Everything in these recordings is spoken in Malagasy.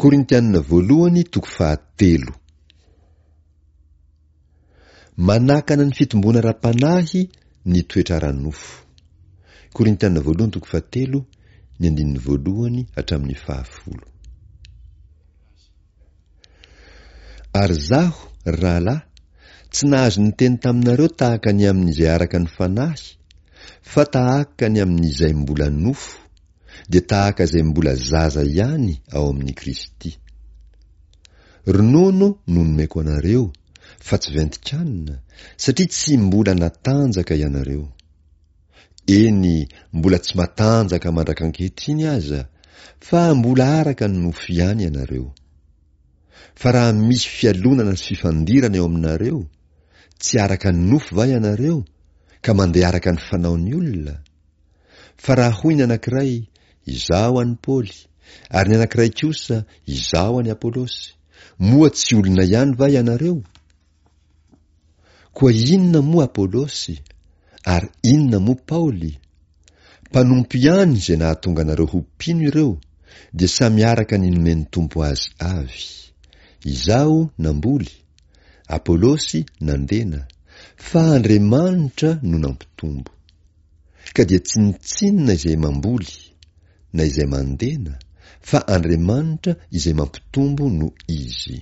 Korintianina voalohany toko fahatelo. Manakana ny fitomboana ara-panahy ny toetra ara-nofo. Korintianina voalohany toko fahatelo, ny andininy voalohany hatramin'ny fahafolo. Ary izaho, ry rahalahy, tsy nahazo niteny taminareo tahaka ny amin'izay araka ny fanahy, fa tahaka ny amin'izay mbola nofo, dia tahaka izay mbola zaza ihany ao amin'i Kristy. Ronono no nomeko anareo, fa tsy ventin-kanina, satria tsy mbola natanjaka ianareo. Eny, mbola tsy matanjaka mandrak'ankehitriny aza, fa mbola araka ny nofo ihany ianareo. Fa raha misy fialonana sy fifandirana eo aminareo, tsy araka ny nofo va ianareo, ka mandeha araka ny fanaon'ny olona? Fa raha hoy ny anankiray, Izaho an'i Paoly, ary ny anankiray kosa, Izaho an'i Apolosy, moa tsy olona ihany va ianareo? Koa inona moa Apolosy, ary inona moa Paoly? Mpanompo ihany izay nahatonga anareo ho mpino ireo, dia samy araka ny nomen'ny Tompo azy avy. Izaho namboly, Apolosy nandena, fa Andriamanitra no nampitombo. Ka dia tsinontsinona izay mamboly, na izay mandena, fa Andriamanitra izay mampitombo no Izy.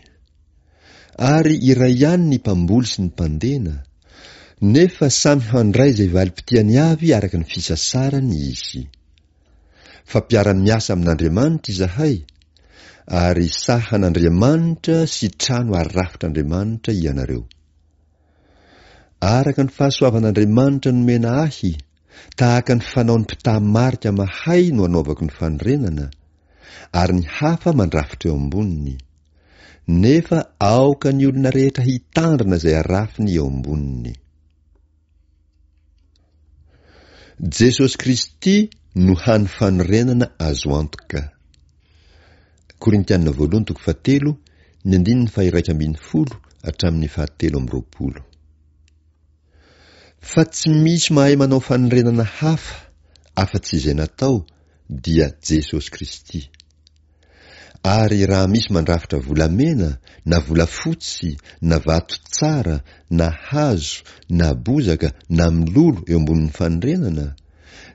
Ary iray ihany ny mpamboly sy ny mpandena, nefa samy handray izay valim-pitiany avy araka ny fisasarany izy. Fa mpiara-miasa amin'Andriamanitra izahay, ary sahan'Andriamanitra sy trano arafitr'Andriamanitra ianareo. Araka ny fahasoavan'Andriamanitra nomena ahy, tahaka ny fanaon'ny mpitaha marika mahay no anaovako ny fanorenana, ary ny hafa mandrafitra eo amboniny. Nefa aoka ny olona rehetra hitandrina izay arafiny eo amboniny. Jesosy Kristy no hany fanorenana azo antoka. Korintiana voalohany toko fahatelo, ny andininy faha-iraika ambin'ny folo hatramin'ny fahatelo amby roapolo. Fa tsy misy mahay manao fanorenana hafa afa-tsy izay natao, dia Jesosy Kristy. Ary raha misy mandrafitra volamena, na volafotsy, na vato tsara, na hazo, na bozaka, na mololo eo ambonin'ny fanorenana,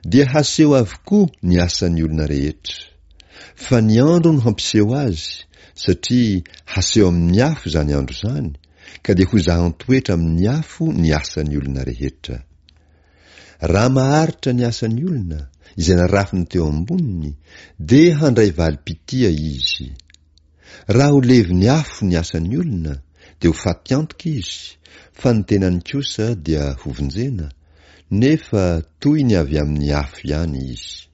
dia haseho avokoa ny asan'ny olona rehetra. Fa ny andro no hampiseho azy, satria haseho amin'ny afo izany andro izany, ka dia hozahan-toetra amin'ny afo ny asan'ny olona rehetra. Raha maharitra ny asan'ny olona, izay narafiny teo amboniny, dia handray valim-pitia izy. Raha ho levon'ny afo ny asan'ny olona, dia ho faty antoka izy, fa ny tenany kosa dia hovonjena, nefa toy ny avy amin'ny afo ihany izy.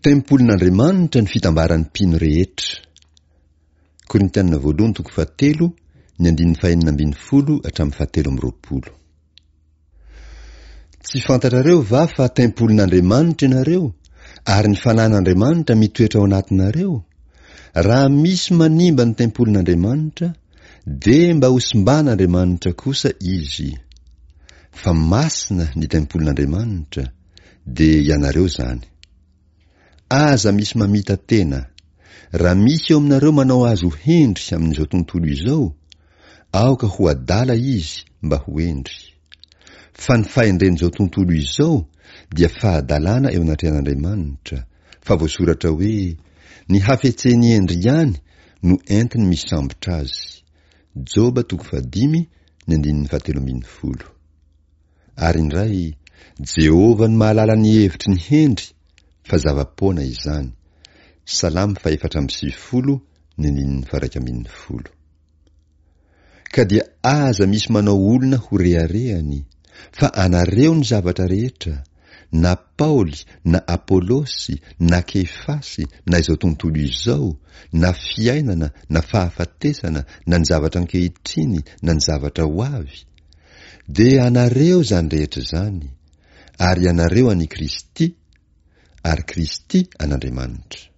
Tempolin'Andriamanitra ny fitambaran'ny mpino rehetra. Korintiana voalohany toko fahatelo, ny andininy fahenina ambin'ny folo hatramin'ny fahatelo amby roapolo. Tsy fantatrareo va fa tempolin'Andriamanitra ianareo, ary ny Fanahin'Andriamanitra mitoetra ao anatinareo? Raha misy manimba ny tempolin'Andriamanitra, dia mba hosimban'Andriamanitra kosa izy. Fa masina ny tempolin'Andriamanitra, dia ianareo izany. Aza misy mamita-tena. Raha misy eo aminareo manao azy ho hendry amin'izao tontolo izao, aoka ho adala izy mba ho hendry. Fa ny fahendren'izao tontolo izao dia fahadalana eo anatrehan'Andriamanitra, fa voasoratra hoe, Ny hafetsen'ny hendry ihany no entiny misambotra azy. Joba toko fahadimy, ny andininy fahatelo ambin'ny folo. Ary indray, Jehovah no mahalala ny hevitry ny hendry, fa zava-poana izany. Salamo fahefatra amby sivifolo, ny andininy faha-iraika ambin'ny folo. Ka dia aza misy manao olona ho reharehany, fa anareo ny zavatra rehetra, na Paoly, na Apolosy, na Kefasy, na izao tontolo izao, na fiainana, na fahafatesana, na ny zavatra ankehitriny, na ny zavatra ho avy, Dia anareo izany rehetra izany, ary ianareo an'i Kristy, ary Kristy an'Andriamanitra.